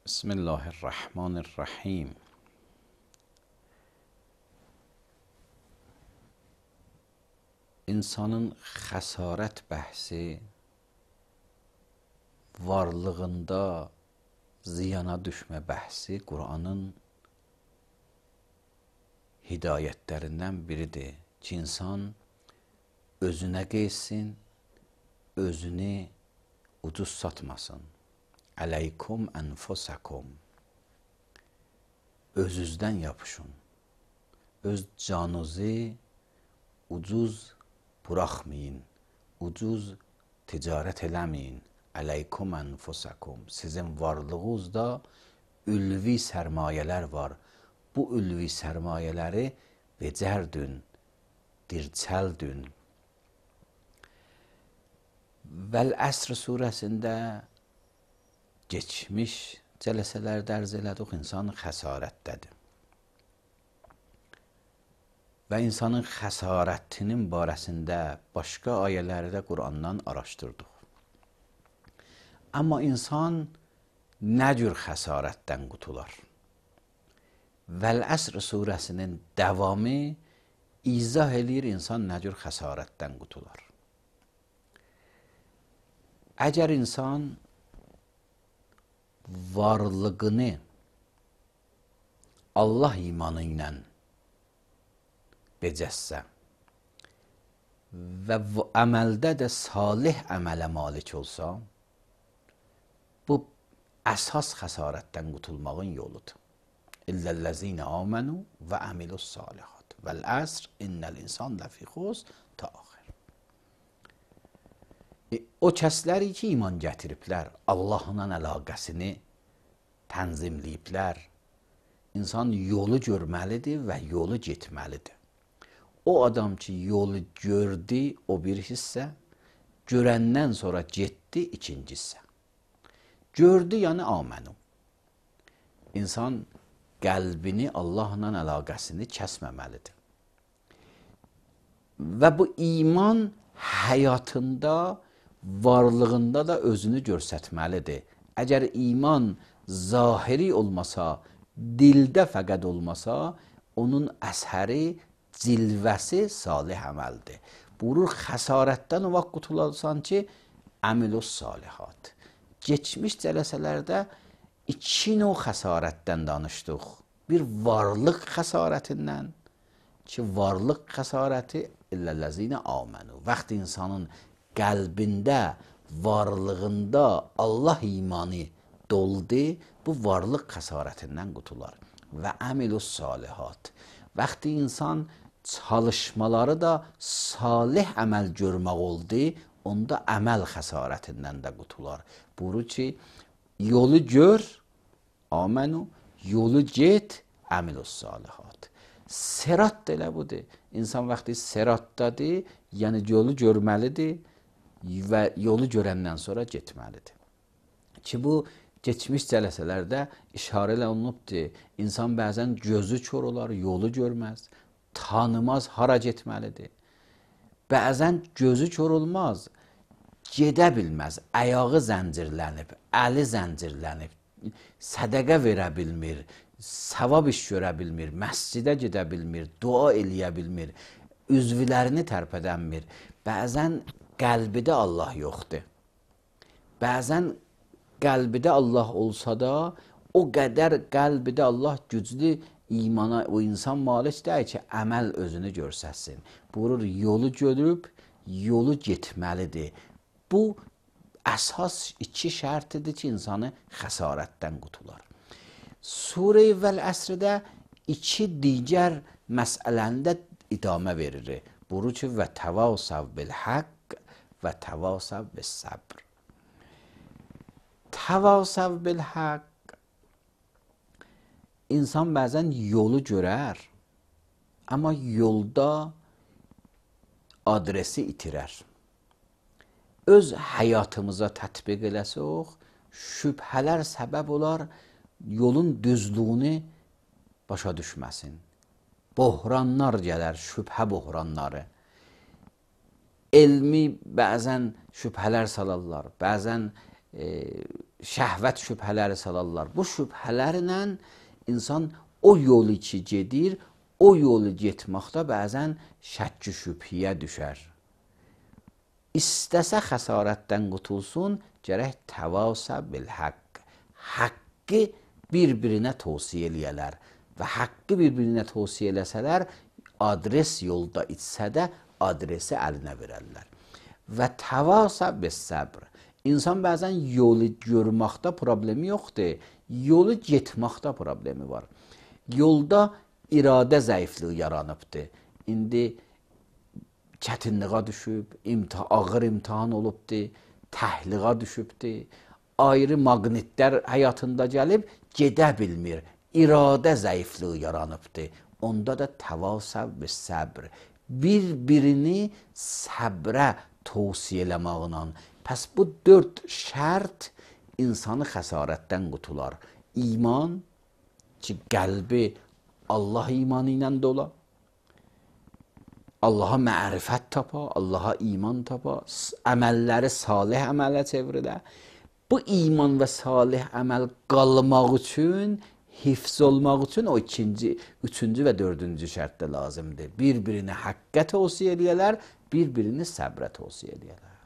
Bismillahirrahmanirrahim. İnsanın xəsarət bəhsi varlığında ziyana düşmə bəhsi Qur'anın hidayətlərindən biridir ki, insan özünə qeysin, özünü ucuz satmasın. Əleykum ənfusakum. Özünüzdən yapışın. Öz canınızı ucuz buraxmayın. Ucuz ticarət eləməyin. Əleykum ənfusakum. Sizin varlığınızda ülvi sərmayələr var. Bu ülvi sərmayələri becərdün, dirçəldün. Vəl-Əsr surəsində geçmiş cələsələrdə ərz elədik, insan xəsarətdədir. Və insanın xəsarətinin barəsində başqa ayələrdə Qur'andan araşdırdıq. Amma insan nə cür xəsarətdən qutular? Vəl-Əsr surəsinin davamı izah eləyir insan nə cür xəsarətdən qutular. Əgər insan varlığını Allah imanı ilə becəssə və əməldə də salih əmələ malik olsa, bu əsas xəsarətdən qutulmağın yoludur. İlləl-ləzîne âmenû və əmilus salihat. Vəl-əsr innəl insan ləfî xusr ta axir. O kəsləri ki, iman gətiriblər, Allahla əlaqəsini tənzimləyiblər, insan yolu görməlidir və yolu getməlidir. O adam ki, yolu gördü, o bir hissə, görəndən sonra getdi, ikinci hissə. Gördü, yəni amenü. İnsan qəlbini Allahla əlaqəsini kəsməməlidir. Və bu iman həyatında, varlığında da özünü göstərməlidir. Əgər iman zahiri olmasa, dildə fəqət olmasa, onun əsəri, cilvəsi salih əməldir. Buyurur, xəsarətdən o vaxt qutularsan ki, əmilus salihat. Geçmiş cələsələrdə iki növ xəsarətdən danışdıq. Bir varlıq xəsarətindən ki, varlıq xəsarəti illəl-ləzîne âmenû. Vaxt insanın qəlbində, varlığında Allah imanı doldu, bu varlıq xəsarətindən qutular. Və əmilus salihat. Vaxtı insan çalışmaları da salih əməl görmək oldu, onda əməl xəsarətindən də qutular. Buyurur ki, yolu gör, amenü, yolu get, əmilus salihat. Sirat da elə budur. İnsan vaxtı siratdadır, yəni yolu görməlidir və yolu görəndən sonra getməlidir. Ki bu geçmiş cələsələrdə işarə olunubdur. İnsan bəzən gözü kör olar, yolu görməz, tanımaz, hara getməlidir. Bəzən gözü kör olmaz, gedə bilməz, ayağı zəncirlənib, əli zəncirlənib, sədəqə verə bilmir, savab iş görə bilmir, məscidə gedə bilmir, dua eləyə bilmir, üzvlərini tərpədənmir. Bəzən qəlbidə Allah yoxdur. Bəzən qəlbidə Allah olsa da, o qədər qəlbidə Allah güclü imana o insan malik deyil ki, əməl özünü göstərsin. Buyurur, yolu görüb, yolu getməlidir. Bu, əsas iki şərtidir ki, insanı xəsarətdən qutular. Surə-i Vəl-Əsrdə iki digər məsələndə idamə verir. Buyurur ki, və təvasəv bil-haqq və təvasəv bil-səbr. Təvasəv bil-haqq. İnsan bəzən yolu görər, amma yolda adresi itirər. Öz həyatımıza tətbiq eləsək, şübhələr səbəb olar, yolun düzlüyünü başa düşməsin. Bohranlar gələr, şübhə bohranları. Elmi bəzən şübhələr salarlar, bəzən şəhvət şübhələri salarlar. Bu şübhələrlə insan o yolu ki gedir, o yolu getməkdə bəzən şəkk-i şübhiyə düşər. İstəsə xəsarətdən qutulsun, gərək təvasa bil-haqq. Haqqı bir-birinə tövsiyə eləyələr və haqqı bir-birinə tövsiyə eləsələr, adres yolda içsə də adresi əlinə verərlər. Və təvasa bis-səbr. İnsan bəzən yolu görməkdə problemi yoxdur, yolu getməkdə problemi var. Yolda iradə zəifliyi yaranıbdır. İndi çətinliğə düşüb, ağır imtahan olubdur, təhliğə düşübdur, ayrı maqnitlər həyatında gəlib, gedə bilmir, iradə zəifliyi yaranıbdır. Onda da təvasa bis-səbr. Bir-birini səbrə tövsiyə eləməklə. Pəs bu 4 şərt insanı xəsarətdən qutular. İman ki, qəlbi Allah imanı ilə dola, Allaha mərifət tapa, Allaha iman tapa, əməlləri salih əmələ çevrilə. Bu iman və salih əməl qalmaq üçün, hifz olmaq üçün o 2-ci, 3-cü və 4-cü şərt də lazımdır. Bir-birini həqqə tövsiyə eləyələr, bir-birini səbrə tövsiyə eləyələr.